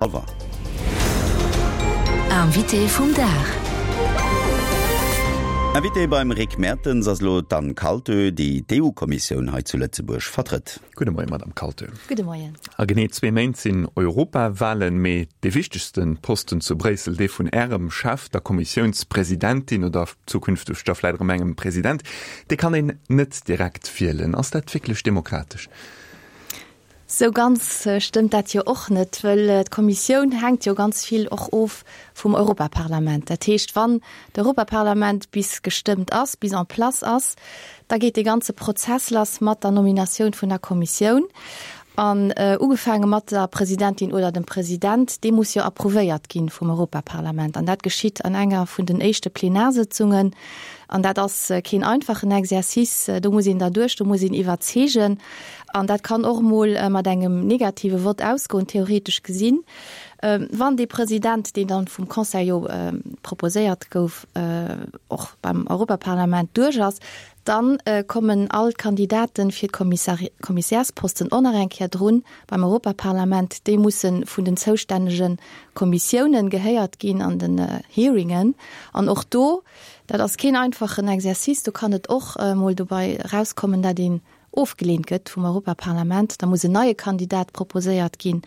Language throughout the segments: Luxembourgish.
Hallwer. Invité vum Dag. Invité beim Rick Mertens ass elo d'Anne Kaltö, déi d'EU-Kommissioun hei zu Lëtzebuerg vertrëtt. Gudde Moien, Madame Kaltö. Gudde Moien. A genee zwee Méint sinn Europawahlen, mee dee wichtegste Posten zu Bréissel, dee vun Ärem Chef, der Kommissiounspresidentin oder zukünfteg da vläit erëm engem President, dee kann een net direkt wielen. Ass dat wierklech demokratesch? Sou ganz stëmmt dat jo och net, wëll d'Kommissioun hänkt jo ganz vill och of vum Europaparlament. Dat heescht, wann d'Europaparlament bis gestëmmt ass, bis en place ass, da geet dee ganze Prozess lass mat der Nominatioun vun der Kommissioun. An ugefaange mat der Presidentin oder dem President, dee muss jo approuvéiert gi vum Europaparlament. An dat geschitt an enger vun den éischte Plenarsëtzungen. An dat ass keen einfachen Exercice. Do muss een derduerch, do muss een iwwerzeegen. An dat kann och emol mat engem negative Vott ausgoen, theoretesch gesinn, wann dee President, deen dann vum Conseil jo proposéiert gouf, och beim Europaparlament duerch ass. Dann kommen all d'Kandidaten fir d'Kommissärsposten och nach eng Kéier drun beim Europaparlament. Déi musse vun den zoustännege Kommissiounen gehéiert ginn an den Hearingen. An och do, dat ass keen einfachen Exercice, do kann et och emol dobei erauskommen, dat een ofgeleent gëtt vum Europaparlament, da muss en neie Kandidat proposéiert ginn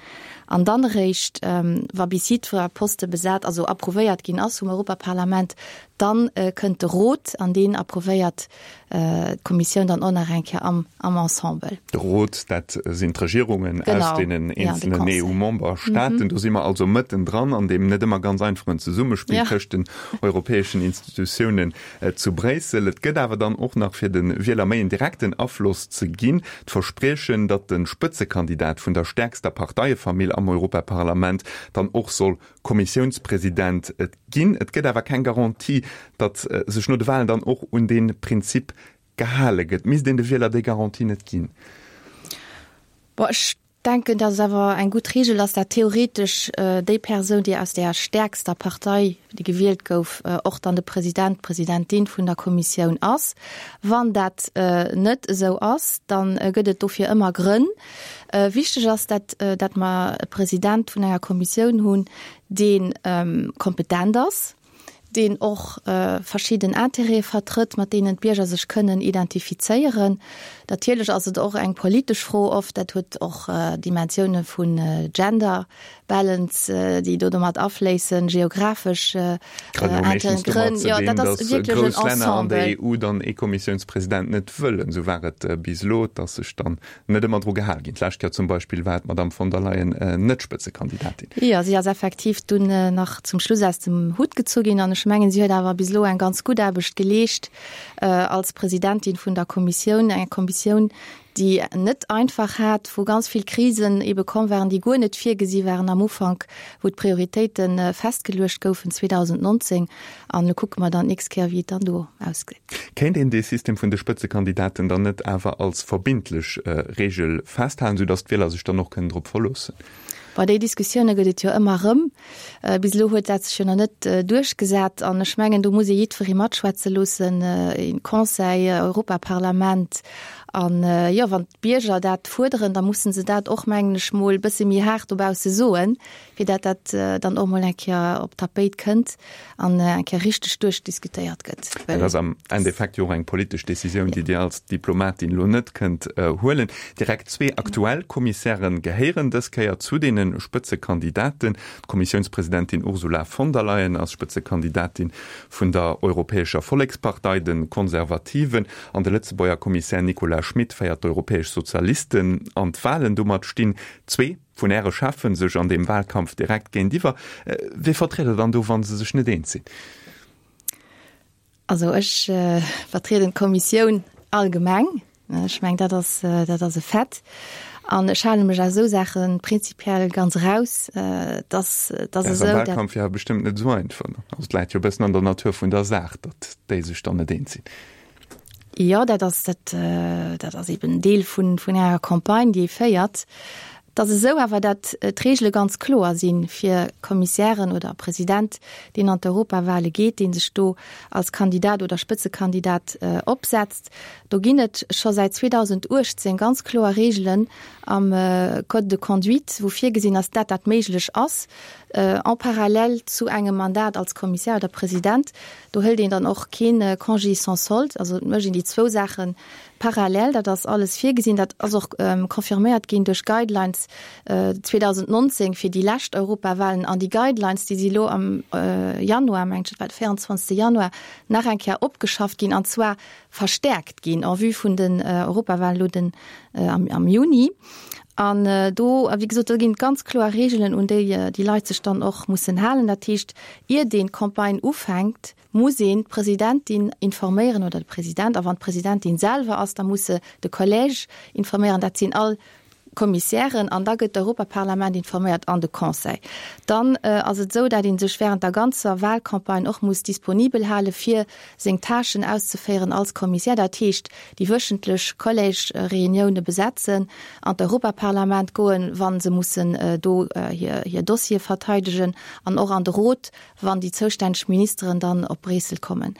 an dann eréischt, wa bis jiddwer Poste besat, also approuvéiert ginn ass vum Europaparlament, dann kënnt de Rot an deen approuvéiert d'Kommissioun dann och nach eng Kéier am am Ensemble. De Rot, dat sinn d'Regierungen aus deenen eenzelnen EU-Memberstaaten. Do si mer also mëtten dran an deem net ëmmer ganz einfachen Zesummespill tëscht den europäeschen Institutiounen. Zu Bréissel. Et gëtt awer dann och nach, fir de Wieler méi en direkten Afloss ze ginn, d'Verspriechen, datt de Spëtzekandidat vun der stäerkster Parteiefamill am Europaparlament dann och soll Kommissiounspresident ginn. Et gëtt awer keng Garantie, datt sech no de Walen dann och un dee Prinzip gehale gëtt. Misst een de Wieler déi Garantie net ginn? Bon, ech denken, datt et awer eng gutt Reegel ass, dat theoretesch déi Persoun, déi aus där stäerkster Partei, déi gewielt gouf, och dann de President, d'Presidentin vun der Kommissioun ass. Wann dat net esou ass, da gëtt et dofir ëmmer Grënn. Wichteg ass, dat dat mer e President vun enger Kommissioun hunn, dee kompetent ass, deen och verschidden Intérêtë vertrëtt, mat deenen d'Bierger sech kënnen identifizéieren. Natierlech ass et och eng politesch Fro oft, dat huet och Dimensioune vun Gender Balance, déi do domat afléissen, geographesch Intérêten, Grënn. Jo, dat ass wierklech en Ensemble. Grouss Länner an der EU dann ee Kommissiounspresident net wëllen. Esou war et bis elo, dass sech dann net ëmmer dru gehal ginn. D'lescht Joer zum Beispill war d'Madamm von der Leyen net Spëtzekandidatin. Jo, si ass effektiv dunn nach zum Schluss aus dem Hutt gezu ginn an ech mengen, si huet awer bis elo eng ganz gutt Aarbecht geleescht als Presidentin vun der Kommissioun, enger Kommissioun, déi net einfach hat, wou ganz vill Krisen ebe komm waren, déi guer net virgesi waren am Ufank, wou d'Prioritéite festgeluecht goufen 2019. An elo kucke mer dann d'nächst Kéier, wéi et dann do ausgeet. Kéint een dee System vun de Spëtzekandidaten dann net awer als verbindlech Reegel festhalen, sou datt d'Wieler sech dann och kënnen drop verloossen? Bon, déi Diskussioune gëtt et jo ëmmer erëm. Bis elo huet dat sech jo nach net duerchgesat. An ech mengen, do muss ee jiddweree matschwätze loossen, een Conseil, Europaparlament. An, jo, wann d'Bierger dat fuerderen, da musse se dat och, mengen ech mol, e bësse méi haart dobausse soen, fir dat dat dann och mol eng Kéier op d'Tapéit kënnt an eng Kéier richteg duerchdiskutéiert gëtt. Dat ass am Endeffekt jo och eng politesch Decisioun, déi Dir als Diplomatin elo net kënnt huelen. Direkt zwee aktuell Kommissäre gehéieren dës Kéier zu deene Spëtzekandidaten. D'Kommissiounspresidentin Ursula von der Leyen ass Spëtzekandidatin vun der Europäescher Vollekspartei, de Konservativen, an de Lëtzebuerger Kommissär Nicolas Schmit féiert d'Europäesch Sozialisten an d'Walen. Domat stinn zwee Vun Äre Cheffen sech an deem Wahlkampf direkt géintiwwer. Wee vertritt Der dann do, wa se sech net eens sinn? Also ech vertrieden d'Kommissioun allgemeng. Ech mengen, dat ass, dat ass e Fait. An ech hale mech aus esou Saache prinzipiell ganz eraus. Et ass, et ass esou, dat. Ass am Wahlkampf jo bestëmmt net esou einfach. Also et läit jo e bëssen an der Natur vun der Saach, datt déi sech dann net eens sinn. Jo, dat ass, dat, dat ass eben Deel vun, vun enger Campagne, déi ee féiert. Et ass esou awer, dat d'Regele ganz kloer si fir Kommissären oder President, deen an d'Europawale geet, dee sech do als Kandidat oder Spëtzekandidat opsetzt. Do ginn et scho säit 2018 ganz kloer Regelen am Code de conduite, wou virgesinn ass, dat dat méiglech ass en parallèle zu engem Mandat als Kommissär oder President. Do hëlt een dann och kee Congé sans solde, also et mécht een déi zwou Saache Parallel, dat ass alles virgesinn, dat ass och confirméiert ginn duerch Guidelines 2019 fir déi lescht Europawahlen. An déi Guidelines, déi si elo am Januar, mengen ech, et war de 24. Januar, nach eng Kéier opgeschafft ginn, an zwar verstärkt ginn en vue vun den Europawahlen elo den am Juni. An do, wéi gesot, do ginn et ganz kloer Regeln, un déi déi Leit sech dann och mussen halen. Dat heescht, ier deen d'Campagne ufänkt, muss een d'Presidentin informéieren oder de President, a wann d'Presidentin selwer ass, da muss se de Collège informéieren, dat sinn all d'Kommissären, an da gëtt d'Europaparlament informéiert an de Conseil. Dann ass et esou, dat ee sech während der ganzer Wahlcampagne och muss disponibel hale fir seng Tâchen auszeféieren als Kommissär, dat heescht déi wöchentlech Collège-Reunioune besetzen, an d'Europaparlament goen, wa se mussen do hir Dossiere verteidegen, an och an de Rot, wann déi zoustänneg Ministeren dann op Bréissel kommen.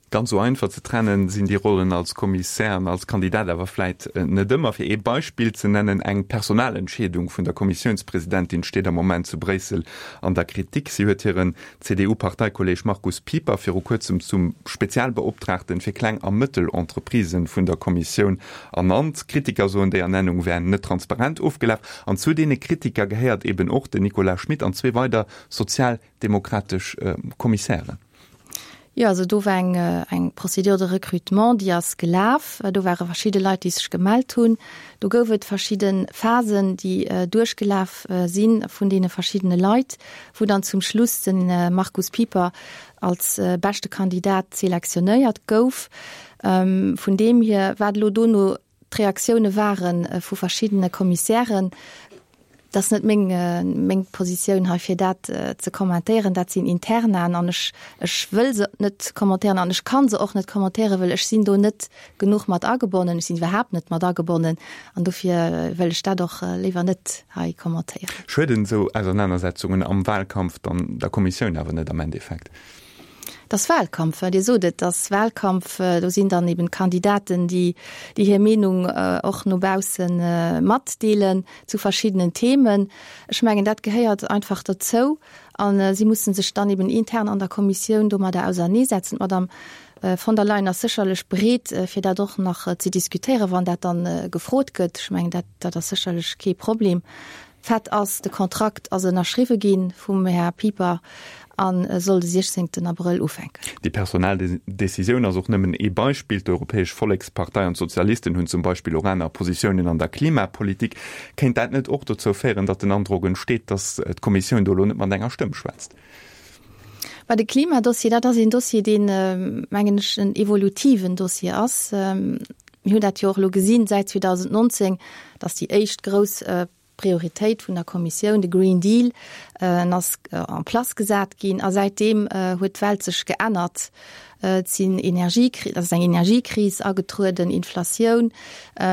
Ganz esou einfach ze trennen sinn déi Rollen als Kommissär an als Kandidat awer vläit net ëmmer. Fir ee Beispill ze nennen, Eng Personalentscheedung vun der Kommissiounspresidentin steet am Moment zu Bréissel an der Kritik. Si huet hiren CDU-Parteikolleeg Markus Pieper viru kuerzem zum Spezialbeoptraagten fir Kleng a Mëttel-Entreprisen vun der Kommissioun ernannt. Kritiker soen, déi Ernennung wär net transparent ofgelaf. An zu deene Kritiker gehéiert eben och den Nicolas Schmit an zwee weider sozialdemokratesch Kommissären. Jo, also do war eng, eng Procédure de recrutement, déi ass gelaf. Do ware verschidde Leit, déi sech gemellt hunn. Do gouf et verschidde Phasen, déi duerchgelaf si vun deene verschiddene Leit, wou dann zum Schluss de Markus Pieper als beschte Kandidat selektionéiert gouf. Vun deem hier, wat elo dono D'Reaktioune ware vu verschiddene Kommissären. Dat ass net meng, meng Positioun hei, fir dat ze kommentéieren. Dat sinn Internaen an ech, ech wëll se net kommentéieren an ech ka se och net kommentéieren, well ech sinn do net genuch mat agebonnen. Ech sinn iwwerhaapt net mat agebonnen an dofir wëll ech dat och léiwer net hei kommentéieren. Schueden esou Ausernanersetzungen am Wahlkampf dann der Kommissioun awer net am Endeffekt? Et ass Wahlkampf, Dir sot et, et ass Wahlkampf. Do sinn dann eben d'Kandidaten, déi déi hir Meenung och no bausse matdeelen zu verschiddenen Themen. Ech mengen, dat gehéiert einfach dozou a si musse sech dann eben intern an der Kommissioun domadder auserneesetzen. D'Madame von der Leyen ass sécherlech bereet, fir dat och nach ze diskutéieren, wann dat dann gefrot gëtt. Ech mengen, dat dat ass sécherlech kee Problem. Fait ass, de Kontrakt ass ënnerschriwwe gi vum Här Pieper a soll de 16 Abrëll ufänken. Déi personell Decisioun ass och nëmmen ee Beispill. D'Europäesch Vollekspartei an d'Sozialisten hunn zum Beispill och aner Positiounen an der Klimapolitik. Kéint dat net och dozou féieren, datt den Androck entsteet, datt d'Kommissioun do elo net mat enger Stëmm schwätzt? Mä de Klimadossier, dat ass een Dossier, deen, mengen ech, en evolutiven Dossier ass. Mir hunn dat jo och elo gesinn säit 2019, datt déi éischt grouss Prioritéit vun der Kommissioun, de Green Deal, en ass en place gesat ginn a säitdeem huet d'Welt sech geännert. Et sinn Energiekri, et ass eng Energiekris agetrueden, Inflatioun.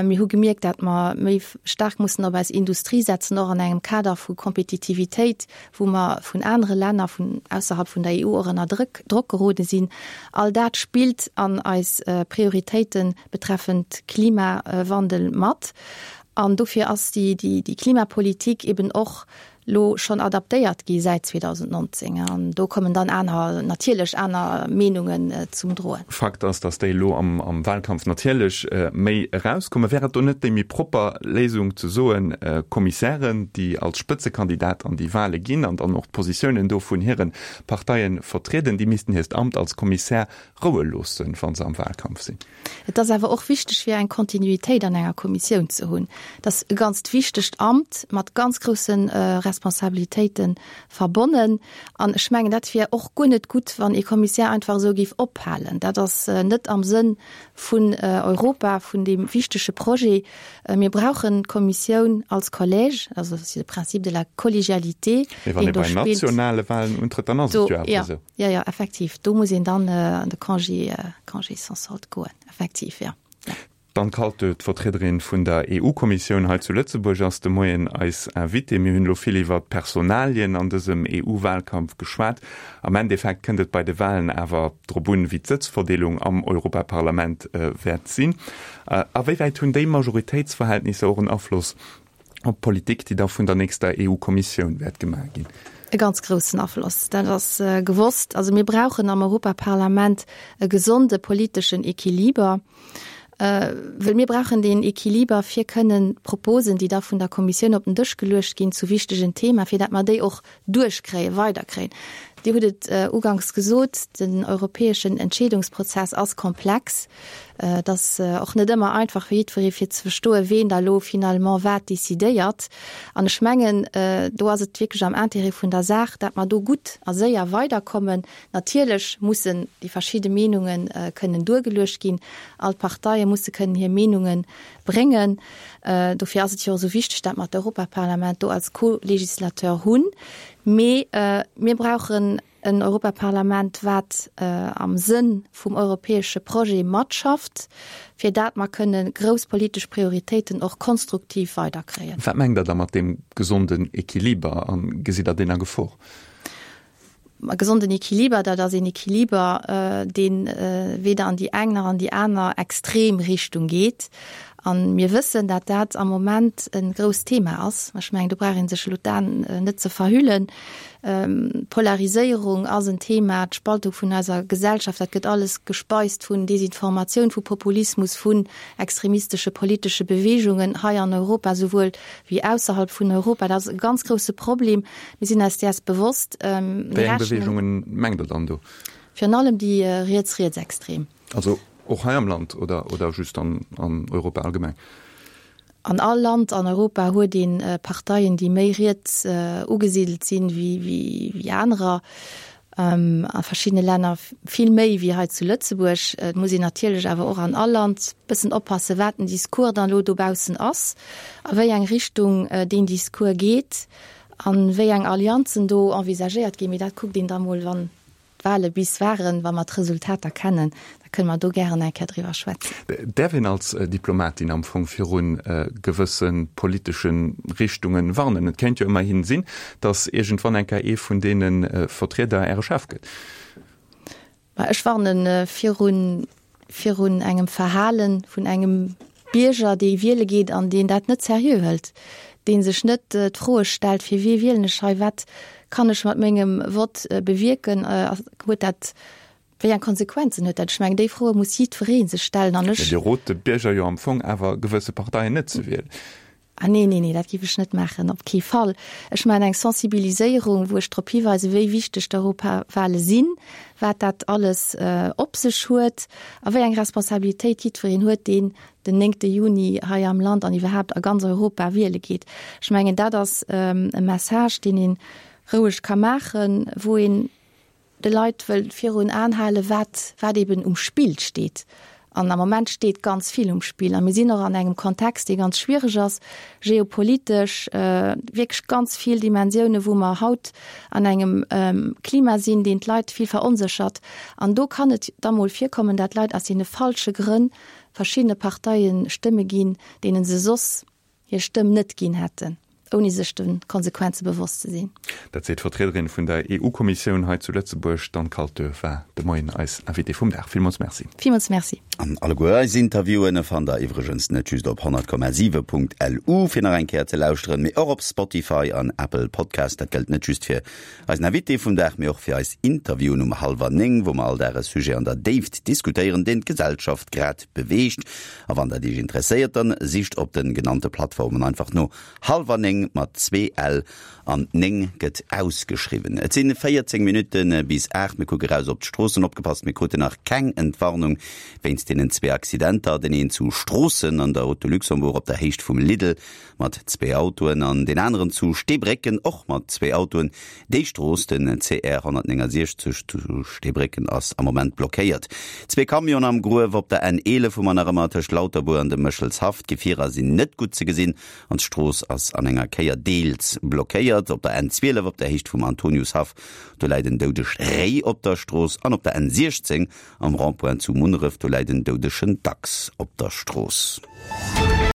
Mir hu gemierkt, dat mer méi staark mussen op eis Industrie setzen, och an engem Kader vu Kompetitivitéit, wou mer vun anere Länner vun ausserhalb vun der EU och ënner Drëck, Drock gerode sinn. All dat spillt an eis Prioritéite betreffend Klimawandel mat. An dofir ass déi, déi, déi Klimapolitik eben och lo schonn adaptéiert gi säit 2019. An do kommen dann aner, natierlech aner Meenungen zum Droen. Fakt ass, datt déi elo am, am Wahlkampf natierlech méi erauskommen. Wär et do net déi méi propper Léisung ze soen, Kommissären, déi als Spëtzekandidat an déi Wahle ginn an dann och d'Positiounen do vun hire Parteie vertrieden, déi missten hiert Amt als Kommissär roue loossen, wa se am Wahlkampf sinn? Et ass awer och wichteg, fir eng Kontinuitéit an enger Kommissioun ze hunn. Et ass e ganzt wichtegt Amt mat ganz grousse Responsabilitéite verbonnen. An ech mengen, dat wier och guer net gutt, wann ee Kommissär einfach esou géif ophalen. Dat ass net am Sënn vun Europa, vun deem wichtege Projet. Mir brauchen d'Kommissioun als Collège, also c'est le principe de la collégialité, Mee wann ee bei nationale Wahlen untrëtt, dann ass et jo awer esou. Jo, jo, effektiv. Do muss een dann an de Congé, Congé sans solde goen, effektiv, jo. D'Anne Kaltö, d'Vertriederin vun der EU-Kommissioun hei zu Lëtzebuerg, ass de Moien eis Invitée. Mir hunn elo vill iwwer d'Personalien an dësem EU-Wahlkampf geschwat. Am Endeffekt kënnt et bei de Wahlen awer drop un, wéi d'Sëtzverdeelung am Europaparlament wäert sinn. A wéi wäit hunn déi Majoritéitsverhältnisser och en Afloss op d'Politik, déi da vun der nächster EU-Kommissioun wäert gemaach ginn? E ganz groussen Afloss, dat ass gewosst. Also mir brauchen am Europaparlament e gesonde politeschen Equiliber, wëll mir brauchen deen Equiliber, fir kënnen d'Proposen, déi da vun der Kommissioun op den Dësch geluecht ginn zu wichtegen Thema, fir dat mer déi och duerchkréien, weiderkréien. Dir hutt et uganks gesot, den europäeschen Entscheedungsprozess ass komplex. Et ass och net ëmmer einfach fir jiddweree fir ze verstoen, ween da elo finalement wat decidéiert. An ech mengen, do ass et wierklech am Intérêt vun der Saach, dat mer do gutt a séier weiderkommen. Natierlech mussen déi verschidde Meenunge kënnen duergeluecht ginn. All d'Parteie musse kënnen hir Meenunge bréngen. Dofir ass et jo och esou wichteg, dat mer d'Europaparlament do als Co-Législateur hunn. Mee mir brauchen en Europaparlament, wat am Sënn vum europäesche Projet matschafft, fir dat mer kënne grouss politesch Prioritéiten och konstruktiv weiderkréien. Wat mengt Der da mat deem gesonden Equiliber a gesitt Der deen a Gefor? E gesonden Equiliber, dat ass een Equiliber, dee weder an déi eng nach an déi aner extrem Richtung geet. A mir wëssen, dat dat am Moment e grousst Thema ass. Ech mengen, do brauch ee sech elo d'Aen net ze verhüllen. D'Polariséierung ass en Thema, d'Spaltung vun eiser Gesellschaft, dat gëtt alles gespeist vun Desinformatioun, vu Populismus, vun extremistesche politesche Beweegungen hei an Europa souwuel wéi ausserhalb vun Europa. Dat ass e ganz grousse Problem. Mir sinn eis däers bewosst. Wéi eng Beweegungen mengt Der dann do? Virun allem déi riets-rietsextrem. Also och hei am Land oder, oder just an, an Europa allgemeng? An all Land an Europa huet ee Parteien, déi méi riets ugesidelt sinn wéi, wéi anerer. A verschiddene Länner vill méi wéi hei zu Lëtzebuerg. Et muss een natierlech awer och an all Land bëssen oppassen, wat den Discours dann elo dobaussen ass, a wéi eng Richtung deen Discours geet a wéi eng Allianzen do envisagéiert ginn. Mee dat kuckt een da mol, wann d'Wahle bis waren, wa mer d'Resultater kennen, da kënne mer do gären eng Kéier driwwer schwätzen. Däerf een als Diplomatin am Fong viru gewësse politesche Richtunge warnen? Et kéint jo ëmmerhi sinn, datt iergendwann eng Kéier ee vun deene Vertrieder Äre Chef gëtt. Ma ech warne virun, virun engem Verhale vun engem Bierger, dee wiele geet an deen dat net seriö hëlt, dee sech net d'Froe stellt, fir wie wielen ech hei, wat kann ech mat mengem Vott bewierken, huet dat Wéi eng Konsequenzen huet dat? Ech mengen, déi Froe muss jiddweree sech stellen an ech. Mä Dir rot de Bierger jo am Fong awer, gewësse Parteien net ze wielen. Ah nee, nee, nee, dat géif ech net maachen, op kee Fall. Ech maachen eng Sensibiliséierung, wou ech drop hiweisen, wéi wichteg d'Europawale sinn, wat dat alles op sech huet a wéi eng Responsabilitéit jiddwereen huet, deen den néngte Juni hei am Land an iwwerhaapt a ganz Europa wiele geet. Ech mengen, dat ass e Message, deen ee roueg ka maachen, wou een de Leit wëll virun Aen halen, wat, wat eben um Spill steet. An am Moment steet ganz vill um Spill. A mir sinn och an engem Kontext, dee ganz schwiereg ass, geopolitesch, wierklech ganz vill Dimensiounen, wou mer haut an engem Klima sinn, deen d'Leit vill veronséchert. An do kann et da mol virkommen, dat Leit aus deene falsche Grënn verschiddene Parteie Stëmme ginn, deene se soss hir Stëmm net ginn hätten, ouni sech de Konsequenze bewosst ze sinn. Dat seet d'Vertriederin vun der EU-Kommissioun hei zu Lëtzebuerg. D'Anne Kaltö war de Moien eis Invitée vum Dag. Villmools Merci. Villmools Merci. An alleguer eis Interviewen fannt der iwwregens net just op 100,7.lu fir nach eng Kéier ze lauschteren, mee och op Spotify an Apple Podcast. Dat gëllt net just fir eisen Invité vum Dag, mee och fir eis Interviewen um hallwer 9, wou mer all Dag e Sujet an der Déift diskutéieren, deen d'Gesellschaft grad beweegt. A wann dat Iech interesséiert, dann sicht op den genannte Plattformen einfach no Hallwer 9 mat zwee L an 9 gëtt ausgeschriwwen. Et sinn 14 Minutten bis 8, mir kucke raus op d'Stroossen. Opgepasst, mir kruten nach keng Entwarnung wéinst deenen zwee Accidenter, den een zu Stroossen an der Route de Luxembourg op der Héicht vum Lidl mat zwee Autoen an deen aneren zu Steebrécken och mat zwee Autoen. Déi Strooss, den CR 169 zu Steebrécken, ass am Moment blockéiert. Zwee Camionen am Gruef op der N 11 hu mer nach ëmmer tëscht Lauterbuer an dem Méchelshaff. D'Gefierer sinn net gutt ze gesinn an d'Strooss ass an enger. Verkéier deels blockéiert. Op der N12 op der Héicht vum Antoniushaff, do läit en doudegt Réi op der Strooss an op der N16 am Rond-point zu Munneref, do läit en doudegen Dachs op der Strooss.